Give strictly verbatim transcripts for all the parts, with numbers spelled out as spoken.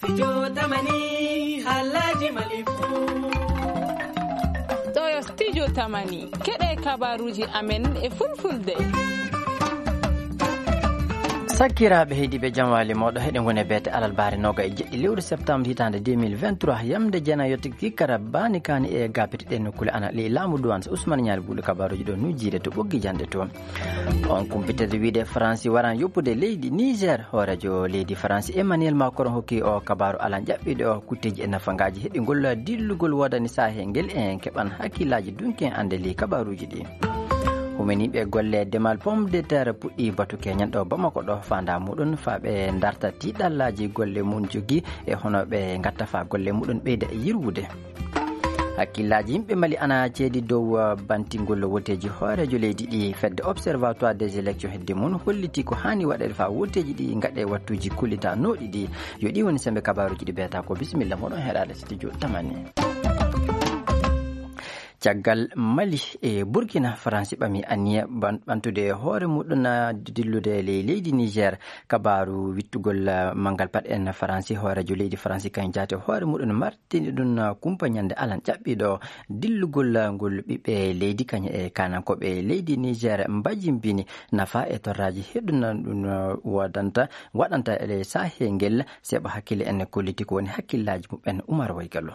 Studio Tamani, haalaaji Mali fuu. Ɗo yo Studio Tamani, keɗe kabaruuji amen e fulfulde. Sakkiraaɓe heediiɓe, jam waali mooɗo, heɗen ngoni e beete alarbaare nooga e jeɗɗi lewru septembre hitaande deux mille vingt-trois, yamde jeenayi yotti kikkara baani kaani e gaapiti ɗe nokkuule ana ley laamu duwaan. So Ousmane Ñaali Buuɗo kabaruuji ɗo nujjiide to ɓoggi janɗe to. On kumpitorde wiide Faransi waran yoppude leydi Niger. Hooreejo leydi Faransi Emmanuel Macron hokki o kabaaru alan ƴaɓɓiiɗo o kutteeji e nafangaaji heɓingol dillugol woodani saahel ngel. En keɓan hakkillaaji dunki en annde ley kabaaruuji ɗi. Humaniiɓe golle demal pomme de terre puɗɗi batu keñan ɗo Bamako ɗo faanda muɗum faa ɓe darta tiiɗallaaji golle mum jogi e hono ɓe ngatta faa golle muɗum ɓeyda e yirwude. Hakkillaaji yimɓe Mali ana ceedi dow, uh, bantingol woteeji hooreejo leydi ɗi. Fedde Observatoire des élections hedde mum holliti ko haani waɗeede faa woteeji ɗi ngaɗe wattuuji kullitanooɗi ɗi. Yo ɗi woni sembe kabaaruuji ɗi beeta ko. Bisimilla moɗon heɗaade studio Tamani. Caggal Mali e Burkina, Faransi ɓami aniya ban-, ɓantude hoore muɗum, uh, dillude ley leydi Niger. Kabaaru wittugol, uh, manngal pat en Faransi, hooreejo leydi Faransi kañum jaati hoore muɗum mar- tini ɗum, uh, kumpa ñande alan ƴaɓɓiiɗo dillugol, uh, ngol ɓiɓɓe leydi kañum e kaanankooɓe leydi Niger mbajimbini nafa e torraaji heɗuna ɗum, uh, woodanta, waɗanta e saahel ngel. Seeɓa hakkille en kolliti ko woni hakkillaaji muɓɓen. Umar Waygalo.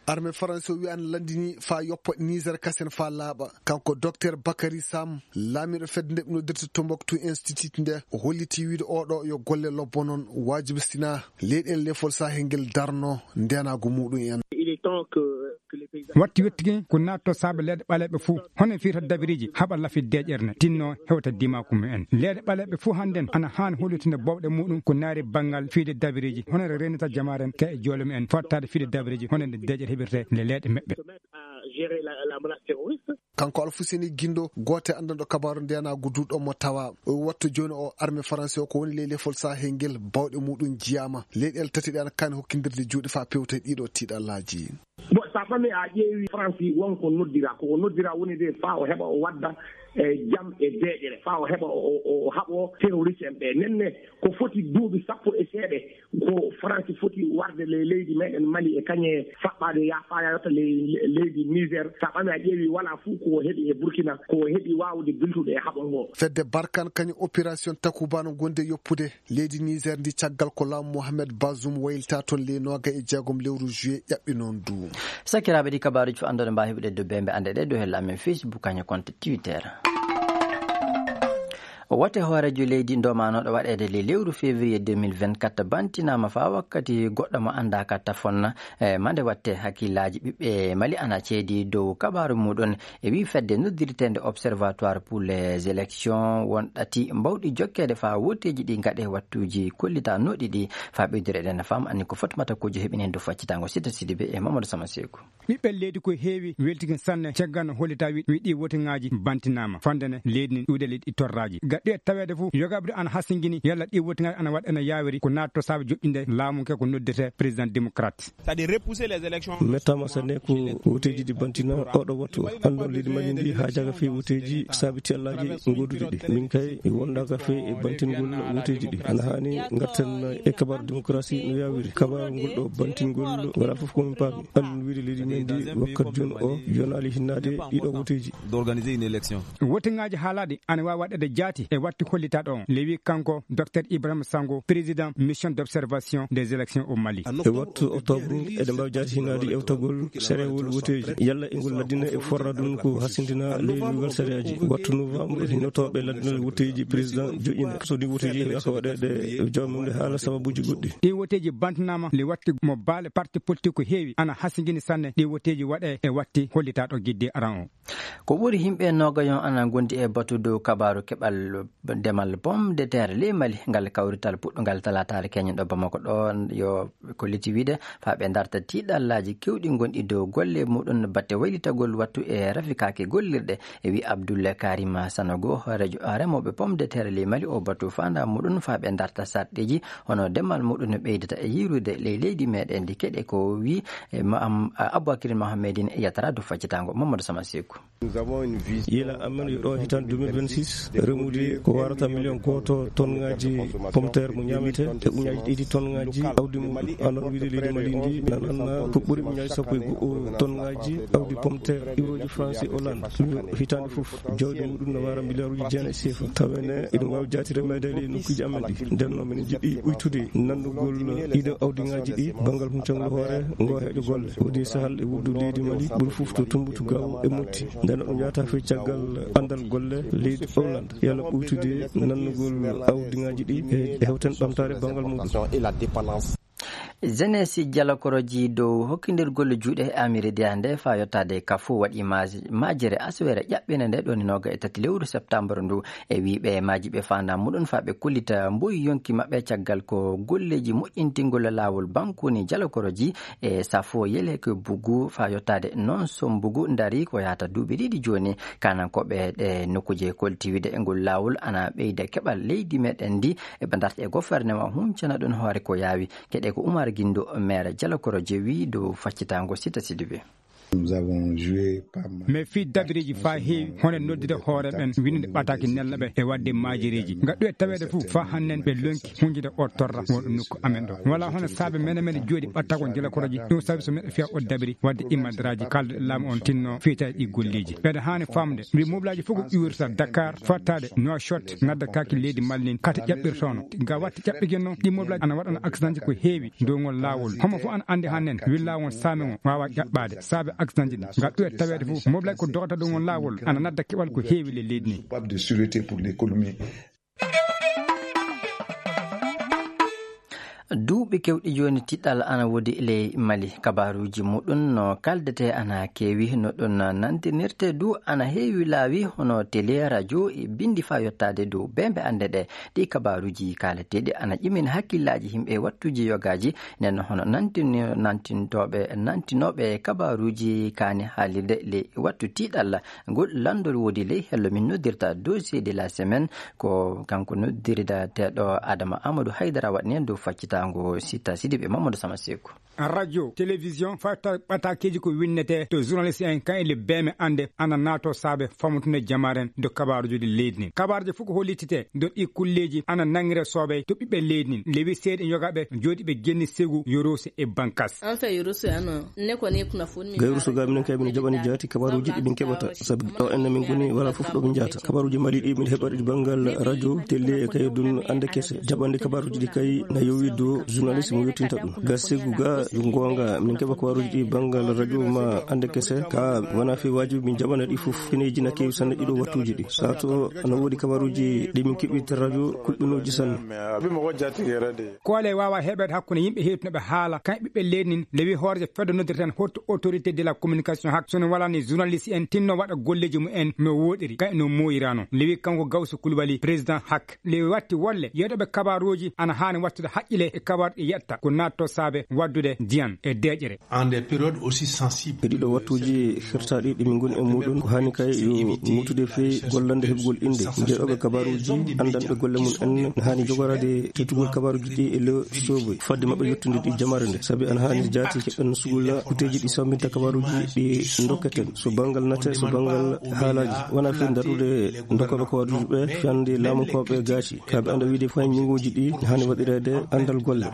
Armée Faransi o wi'an lanndini faa yoppa Niger kasen faa laaɓa. Kanko Docteur Bakary Sam, laamiiɗo fedde nde ɓe noddirta Tombouctou Institute nde, o holliti wiide oɗo yo golle lobbo noon waajibistina leyɗeele lefol Sahel ngel darno ndeenaagu muɗum en. Il est temps que, que les paysans Watti wettike ko naatto saabe leeɗe ɓaleeɓe fuu. Hono fiyta dabiriji haɓa lafi deeƴere ne tinno hewta dimaku mumen. Leeɗe ɓaleeɓe fuu hannden ana haani hollitinde bowɗe muɗum ko naari banngal fiyde dabiriji. Hono renata jamaaren ka e joole mumen fottaade fiyde dabiriji hono nde deeƴere heɓirte nde leeɗe meɓɓe. À gérer la, la menace terroriste. Kanko Alfuseni Gindo, gooto e anndanɗo kabaaru ndeenaagu duuɗo mo tawa, o wattu jooni o armée Faransi o ko woni ley lefol Sahel ngel, bawɗe muɗum jiyaama. Leyɗeele tati ɗe ana kaani hokkindirde juuɗe faa pewta ɗiɗo tiiɗallaaji. Bon, so a ɓami a ƴeewi Faransi won ko noddira, ko o noddira woni de faa o heɓa o wadda, e jam e deeƴere, faa o heɓa o, o, o haɓo terroriste en ɓe. Nenne ko foti duuɓi sappo e seeɗe, ko Faransi foti warde le-, leydi meɗen Mali e kañe faɓɓaade ya-, faa yotta le-, le-, leydi Niger. So a ɓami a ƴeewi wala fuu ko o heɓi e Burkina, ko o heɓi waawde biltude e haɓo ngo. Fedde Barkan kañum opération Takuba no gondi e yoppude leydi Niger ndi caggal ko laamu Mohamed Bazoum waylita toon ley nooga e jeegom lewru juillet ƴaɓɓi noon du. Sakiraaɓe ɗi kabaaruuji fof anndude mbaawi heɓude dow bembe annde ɗe dow hella amen Facebook kañum compte Twitter. Wote hooreejo leydi ndomanooɗo waɗeede le lewru février deux mille vingt-quatre bantinaama faa wakkati goɗɗo mo anndaaka tafon, e mande watte hakkillaaji ɓiɓɓe Mali ana ceedi dow kabaaru muɗum. E wii fedde noddirteende Observatoire pour les élections won ɗati mbawɗi jokkeede faa woteeji ɗi ngaɗe wattuuji kollitanooɗi ɗi faa ɓeydude eɗen fam anni ko Fatmata Kojo heɓi heen dow faccitango Sita Sidibe e Mamadou Sama Seeku. Ɓiɓɓe leydi ko heewi weltiki sanne caggal no hollita wi, wi ɗi wotiŋaaji bantinaama. Fande ne leydi ne ɗuuɗe leydi torraaji. Gaɗɗo e taweede fof, yogaaɓe ɗo ana hasingini yalla ɗi wotiŋaaji ana waɗa ene yaawiri ko naatto saabe joƴƴinde laamu ke ko noddirte président démocrate. C'est-à-dire repousser les élections. Mettama sanne ko woteeji ɗi bantina oɗo wattu. Anndo leydi Mali ndi haa jaga fii woteeji saabi tiyallaaji ngoduɗi ɗi. Min kay wonda ka fii e bantingol woteeji ɗi. Ana haani ngarten e kabar démocratie no yaawiri. Kabar ngol ɗo bantingol wala fof ko min paami. An wiide leydi men ndi wakkat jooni o yonaali hinnaade ɗiɗo woteeji. D'organiser une élection. Woteŋaaji haalaɗi ana waawi waɗeede jaati e watti hollitaaɗo on. Lewi kanko Docteur Ibrahima Sango, président mission d'observation des élections au Mali. E wattu octobre, eɗen mbaawi jaati hinaade ƴeewtagol sarewol woteeji. Yalla e ngol laddina e forra ɗum ko hasindina ley lugal sareeji. Wattu novembre, hinotooɓe laddinal woteeji président joƴƴina. So ɗi woteeji yaaka waɗeede jawmum nde haala sababuuji goɗɗi. Ɗi woteeji bantanaama le watti mo baale parti politique ko heewi ana hasingini sanne ɗi woteeji waɗe e watti hollitaaɗo gidde aran o. Ko ɓuri yimɓe noogayon ana ngondi e batu dow kabaaru keɓal demal pomme de terre ley Mali. Ngal kawrital puɗɗungal talaataare keñen ɗo Bamako ɗo yo kolliti wiide faa ɓe darta tiiɗallaaji kewɗi gonɗi dow golle muɗum batte waylitagol wattu e rafikaaki gollirɗe. E wi Abdoul Karim Sanogo, hooreejo remooɓe pomme de terre ley Mali, o batu faandaa muɗum faa ɓe darta sarɗeeji hono demal muɗum no ɓeydata e yiirude ley leydi meɗen ndi keɗe ko wi, e, ma-, am-, Aboubacry Mohamedine Yatara dow faccitango Mamadou Sama Seeku. Yila amen yo ɗo hitan deux mille vingt-six, remude ko warata miliyon gooto tonngaji pomteer mo ñaamete e uñaaji ɗiɗi tonngaji awdi muɗum. Anon wiide leydi Mali ndi nan anna ko ɓuri uñaaji sappo e go'o tonngaji awdi pomteer iwroji France e Hollande. Yo hitande fof jawdi muɗum no wara miliyaaruji jeenayi sefa. Tawene iɗum wawi jaati remeede e nokkuji amen ɗi. Nden noon minen jiɗi ɓuytude nannugol ɗiɗo awdiŋaaji ɗi banngal huncangol hoore ngo heeƴo golle. Wodi sahal e wuddu leydi Mali ɓuri fof to Tumbutu Gawo e Motti. Nden ɗum yahata fii caggal anndal golle leydi Hollande. Yalla ɓuytude nannugol awdiŋaaji ɗi e hewten ɓamtaare banngal muɗum. Jeunesse Jalakoroji dow hokkindirgol juuɗe e Amiri Diande faa yottaade ka fof waɗi maaj-, majere aswere ƴaɓɓinde nde ɗon noga e tati lewru septembre ndu. E wiiɓe maaji ɓe faanda muɗum faa ɓe kullita mboyi yonki maɓɓe caggal ko golleeji moƴƴintingol laawol bankuni Jalakoroji e safo yele ko bugu faa yottaade noon so mbugu ndari ko yahata duuɓi ɗiɗi jooni. Kanankooɓe ɗe nokkuuje koltiwide e ngol laawol ana ɓeyda keɓal leydi meɗen ndi e ɓe darta e goferneman huncana ɗum hoore ko yaawi. Keɗe ko Umar Gindo, maire Jalakoro jewi dow faccitaango Sita Sidibe. Nous avons joué pas mal. Mais fii dabiriji faa heewi, hono noddude hoore ɓen, winnude ɓataake nella ɓe e waɗde maajereeji. Nga ɗuwe taweede fof, faa hannden ɓe lonki hunjude o torra wonɗo nokku amen ɗo. Wala hono saabe mene mene jooɗi ɓattagol Jalakoroji, ɗum sabi so miɗo fiya o dabiri waɗde imadraaji, kalduɗe laamu on tinno fiyetaaɗi ɗi golleeji. Ɓeɗa haani famde, mbi moblaaji fof ko iwirta Dakar, fattaade Nouakchott, nadda kaaki leydi Mali nin, kate ƴaɓɓirtono. Ga watti ƴaɓɓigel noon, ɗi moblaaji ana waɗana accidentji ko heewi dow ngol laawol. Homo fof ana anndi hannden, wi laawol saame on waawa ƴaɓɓaade, saabe accidentji ɗi. Ga ɗuwe taweede fof, moblaaji ko dogata dow ngol laawol, ana nadda keɓal ko heewi le leydi ni. Coupable de sûreté pour l'économie. Duuɓi kewɗi jooni, tiɗɗal ana woodi ley Mali. Kabaaruuji muɗum no kaldete ana keewi, no ɗum nantinirte du ana heewi laawi, hono tele, radio e binndi faa yottaade dow beembe annde ɗe. Ɗi kabaaruuji kaaleteeɗi ana ƴimina hakkillaaji yimɓe e wattuuji yogaaji, nden hono nantini-, nantintooɓe, nantinooɓe kabaaruuji kaani haalirde ley wattu tiiɗalla. Ngol lanndol woodi ley hello min noddirta dossier de la semaine, ko kanko noddirdateeɗo Adama Amadou Haydara waɗani en dow faccitaango Sita Sidibe Mamadou Sama Seku. Radio, télévision, fata ɓatakeeji ko winnete to journaliste en kan e le beeme annde ana naato saabe famutunde jamaren do kabaaruji ɗi leydi nin. Kabaaruji fof ko hollitite do ɗi kulleeji ana nangire soobey to ɓiɓɓe leydi nin. Lewi seeɗi yogaaɓe jooɗiiɓe genni segu Yorose e Bankas. An fɛ Yorose yan nɔ, ne kɔni ye kunnafoni min Gayru so ga minen kay min jaɓani jaati kabaaruji ɗi min keɓata, sabi ɗo enne min ngoni wala fof ɗo min jaata. Kabaaruji Mali ɗi min heɓata ɗi banngal radio, télé e kay dun annde kese. Jaɓande kabaaruji ɗi kay na yowi do journaliste mo yottinta ɗum. Ga segu ga yo goonga min keɓa kabaaruji ɗi banngal radio ma annde kese, ka wona fi wajibi min jaɓana ɗi fof. Fineji na kewi sanne ɗiɗo wattuji ɗi. Sato ana woodi kabaaruji ɗi min keɓirta radio kulɓinooji sanne. Koole waawa heɓeede hakkunde yimɓe heewtunoɓe haala, kamɓe ɓiɓɓe leydi nin. Lewi hoorejo fedde noddirten haute autorité de la communication hak, sono walani journaliste en tinno waɗa golleji mumen no woɗiri, kay no moyirano. Lewi kanko Gawsu Kulubali, président hak, lewi watti wolle yeɗoɓe kabaruji ana haani wattude haqqile e kabaru ɗi yetta ko natto saabe waddude diyan e deƴere. En des périodes aussi sensibles. E ɗiɗo wattuji hirtaɗi ɗi min ngoni e muɗum, ko hani kay yo mutude fee gollande heɓugol innde jeeɗoɓe kabaruji, anndanɓe golle mum en, ne hani jogorade teddugol kabaruji ɗi e le soboy fadde maɓɓe yettude ɗi jamare nde, sabi ana hani jaati keɓen sugula kuteji ɗi sambinta kabaruji ɗi dokketen, so banngal nate, so banngal haalaji, wona fii daɗude dokkoɓe kabaruji ɓe fiyande laamunkooɓe gaaci, kaɓe anda wiide fay ñinguji ɗi hani waɗirede anndal golle.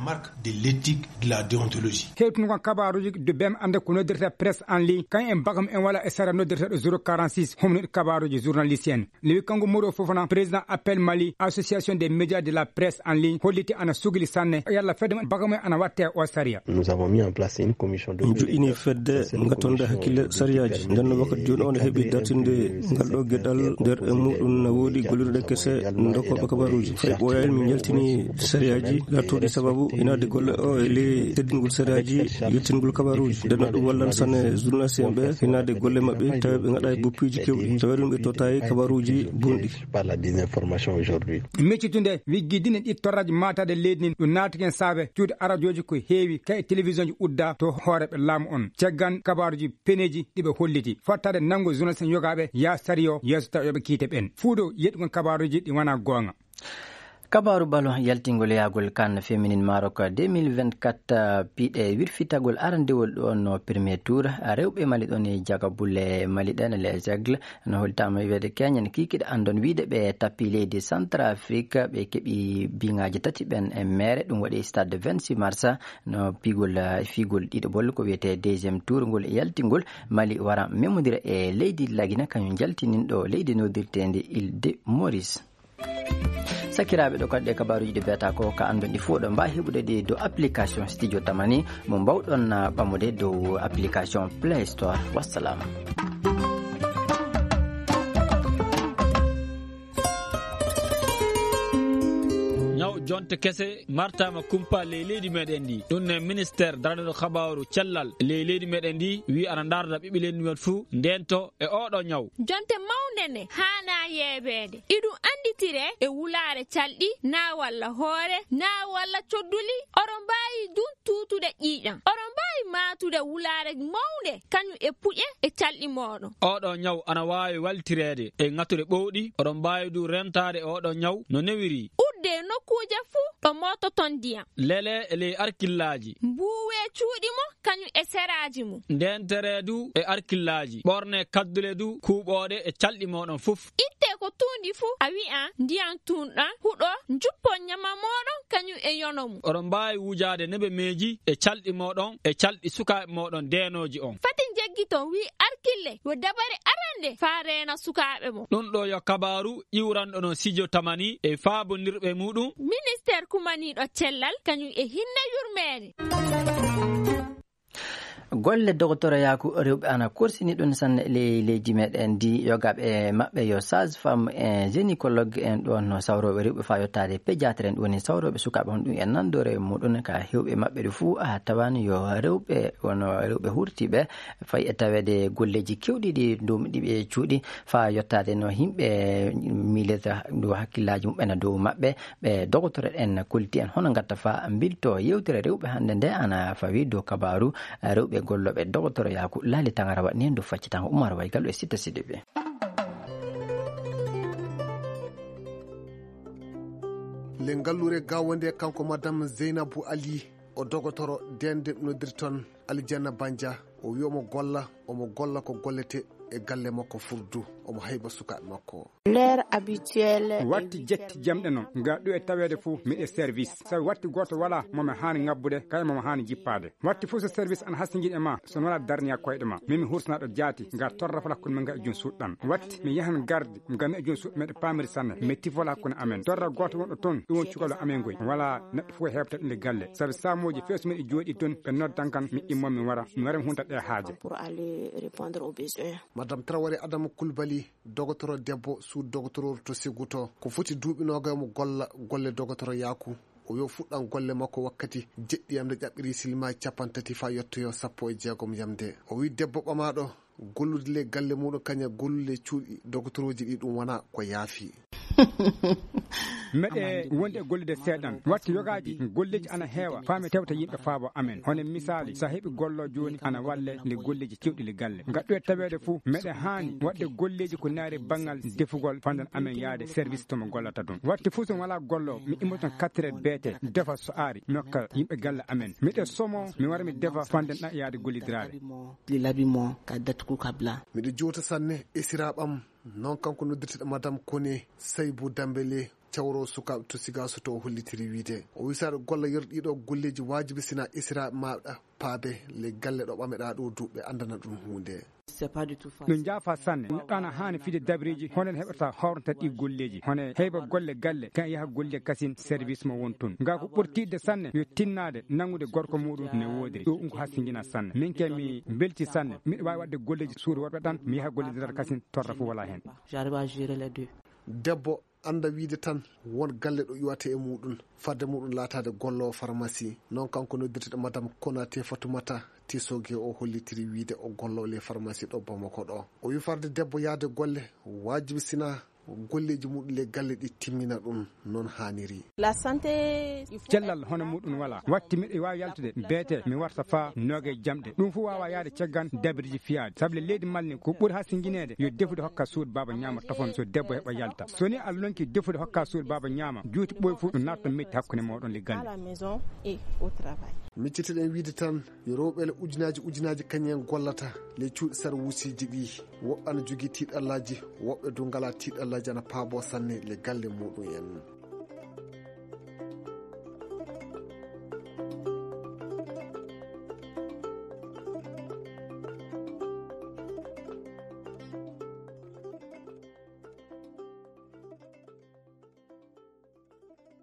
De l'éthique, de la déontologie. Hewtunu kon kabaruji de bem ande ko noddirta presse en ligne, kan en bagam en wala e sara noddirta ɗo zéro quarante-six, homno kabaruji journaliste en. Lewi kanko Moro Fofana, président Appel Mali, association des médias de la presse en ligne, holliti ana sugili sanne, yalla fedde mon bagam en ana watte o sariya. Nous avons mis en place une commission de Min joɗɗini fedde ngatonde hakkille sariyaji. Nden no wakkati joni on heɓi dartinde ngal ɗo geɗal nder e muɗum na woodi gollirɗe kese dokkoɓe kabaruji. Fay ɓooyani min yaltini sariyaji lattoɗi sababu inaade golle o e ley teddingol sariyaji, yettingol kabaruji. Nden no ɗum wallan sanne journaliste en ɓe inaade golle maɓɓe tawi ɓe gaɗa e boppiji kewɗi. Tawi ɗum ɓe tottayi kabaruji bonɗi. Par la désinformation aujourd'hui. Meccitunde wiggidine ɗi torraji mataade leydi nin ɗum naatiken saabe cuuɗi arajoji ko heewi kay télévision ji udda to hooreɓe laamu on. Caggan kabaruji peneji ɗi ɓe holliti. Fottade nanngo journaliste en yogaaɓe yaa sariyo yeeso tawa yoɓe kiite ɓen. Fuudo yeɗugol kabaruji ɗi wona goonga. Kabaaru ballon yaltingol yahgol kan feminin Maroc deux mille vingt-quatre, piɗe wirfitagol arandewol ɗo no premier tour. Rewɓe Mali ɗon e jagabule Mali ɗen, les Aigles, no hollitama wiide keñen kikiɗe andon wiide ɓe tappi leydi Centrafrique, ɓe keɓi biŋaji tati ɓen e mere. Ɗum waɗi stade vingt-six mars, no pigol, eh, figol ɗiɗo bol ko wiyete deuxième tour ngol e yaltingol. Mali wara memodira e leydi Lagina, kañum jaltininɗo leydi nodirtendi Île de Maurice. Sakiraaɓe, ɗo kadi ɗe kabaaruuji ɗi mbiyata ko ka anndon ɗi fof, ɗo mbaawi heɓude ɗi dow application Studio Tamani mo mbawɗon, ah, ɓamude dow application Play Store. Wassalam. Ñaw jonte kese martama kumpa ley leydi meɗen ndi. Ɗum ne ministère daraniiɗo kabaaru cellal ley leydi meɗen ndi wi ana ndarda ɓiɓɓe leydi men fuu ndento e oɗo ñaw. Jonte mawnde ne haanaa yeebeede. Iɗum annditire e wulaare calɗi, naa walla hoore, naa walla codduli. Oɗon mbaawi dun tuutude ƴiiƴam. Oɗon mbaawi maatude wulaare mawnde, kañum e puƴe e calɗi mooɗon. Oɗo ñaw ana waawi waltireede e ŋature ɓowɗi. Oɗon mbaawi du rentaade oɗo ñaw no newiri. Udde nokkuuje fuu ɗo moototon ndiyam. Lele e ley arkillaaji. Mbuuwe cuuɗi mo kañum e seraaji mum. Ndeentere du e arkillaaji, ɓorne kaddule du kuuɓooɗe e calɗi mooɗon fof. Itte ko tuundi fof, a wi'a ndiyam tun ɗan huɗo, njuppon ñama mooɗon kañum e yono mum. Oɗon mbaawi wujaade nebemeeji e calɗi mooɗon e calɗi sukaaɓe mooɗon deenooji on. Fati njeggiton wi arkille, wo dabare arande faa reena sukaaɓe mo. Ɗum ɗo yo kabaaru iwranɗo no Sijo Tamani e faabondirɓe muɗum. Ministeer kumaniiɗo cellal kañum e hinne yurmeende. Golle dogotoroyaaku rewɓe ana korsini ɗum sanne ley leydi meɗen ndi, yogaaɓe maɓɓe yo sage femme e gynécologue en ɗon no sawrooɓe rewɓe faa yottaade pédiatre en, ɗum woni sawrooɓe sukaaɓe hon ɗum e nanndore muɗum ka hewɓe maɓɓe ɗo fuu a tawan yo rewɓe wono rewɓe hurtiiɓe fay e taweede golleeji kewɗi ɗi ndomiɗi ɓe cuuɗi faa yottaade no yimɓe miilata ɗo hakkillaaji muɓɓen dow maɓɓe. Ɓe dogotoro en kolliti en hono ngatta faa mbilto yewtere rewɓe hannde nde ana fawi dow kabaaru rewɓe gollooɓe dogotoroyaaku. Laali Tangara waɗni en dow faccitango Umar Waygal e Sitta Sidibe. Le ngallure gawonde kanko madame Zeynabu Ali, o dogotoro dende noddirton Alijanna Banja. O wi omo golla, omo golla ko gollete e galle makko furdu, omo hayba sukaaɓe makko. L'heure habituelle. Watti jetti jamɗe noon, nga ɗo e taweede fof miɗe service. Sabi watti gooto wala mo mi haani ŋabbude, kay mo mi haani jippaade. Watti fof so service ana hasingin e ma, so wala darniya koyɗe ma. Min mi hursanaɗo jaati, nga torra fala hakkunde men nga e jom suuɗɗan. Watti mi yahan gardi, nga mi e jom suuɗɗan meɗe paamiri sanne. Mi tifola hakkunde amen. Torra gooto wonɗo toon, ɗum won cukalel amen ngoy. Wala neɗɗo fof heɓta ɗum e galle. Sabi saamooji feesu miɗe jooɗi toon, ɓe noddan kan, mi immo mi wara. Mi wara mi hunta ɗe haaje. Pour aller répondre aux besoins. Madame Traoré Adama Koulibaly, dogotoro debbo, sous dogotoro to Seguto. Ko foti duuɓi noogay mo golla golle dogotoro yaaku. O yo fuɗɗan golle makko wakkati jeɗɗi yamde ƴaɓɓiri silma capanɗe tati faa yettoyo sappo e jeegom yamde. O wi debbo ɓamaaɗo gollude le galle muɗum kaña gollude cuuɗi dogotoroji ɗi ɗum wona ko yaafi. Meɗe wonde e gollude seeɗan. Watti yogaaji golleeji ana heewa. Faa mi tewta yimɓe faabo amen. Hono misaali, so a heɓi gollo jooni ana walle nde golleeji kewɗi le galle. Ngaɗɗo e taweede fof, meɗe haani waɗde golleeji ko naari banngal defugol fandan amen yaade service to mo gollata ɗum. Watti fof so mi walaa gollo, mi immoto quatre heures beete, defa so aari, mi hokka yimɓe galle amen. Miɗe somo, mi wara mi defa fandan ɗa yaade gollidiraade. L'habillement, ka date ku kabla. Miɗo jowta sanne esiraaɓam. Noon kanko noddirteɗo Madame Kone Saybu Dambele, cawro sukaaɓe to Sigaaso to o hollitiri wiide. O wi saɗa golla yer ɗiɗo golleeji waajibi sina esiraaɓe maɗa paabe le galle ɗo ɓameɗa ɗo duuɓe andana ɗum huunde. C'est pas du tout facile. No njaafa sanne. Neɗɗo ana haani fide dabreeji hono en heɓata hawrata ɗi golleeji. Hono heyba golle galle kan yaha golle kasin service mo won toon. Nga ko ɓurtiɗde sanne yo tinnaade nanngude gorko muɗum ne woodiri. Ɗo ɗum ko hasingina sanne. Min ke mi belti sanne. Miɗo waawi waɗde golleeji suudu worɓe ɗan, mi yaha golle didal kasin torra fof wala heen. J'arrive à gérer les deux. Debbo annda wiide tan won galle ɗo iwata e muɗum, fadde muɗum laataade golloowo pharmacie. Noon kanko noddirteɗo Madame Konaté Fatoumata Tisoge o hollitiri wiide o golloowo le pharmacie ɗo Bamako ɗo. O wi farde debbo yahde golle waajibi sina golleeji muɗum le galle ɗi timmina ɗum non haaniri. Cellal hono muɗum wala watti miɗo waawi yaltude beete mi warta faa noogay jamɗe ɗum fof waawa yahde caggan dabiriji fiyaade sabu le leydi malni ko ɓuri haa singineede yo defude hokka suudu baaba ñaama tofon so debbo heɓa yalta so ni a lonki defude hokka suudu baaba ñaama juuti ɓooy fof ɗum natta metti hakkunde mooɗon le galle. Miccitoɗen wiide tan yo rewɓe le ujunaaji ujunaaji kañum en gollata ley cuuɗi sarwuusiiji ɗi. Woɓɓe ana jogii tiiɗallaaji, woɓɓe du ngalaa tiiɗallaaji ana paaboo sanne le galle muɗum en.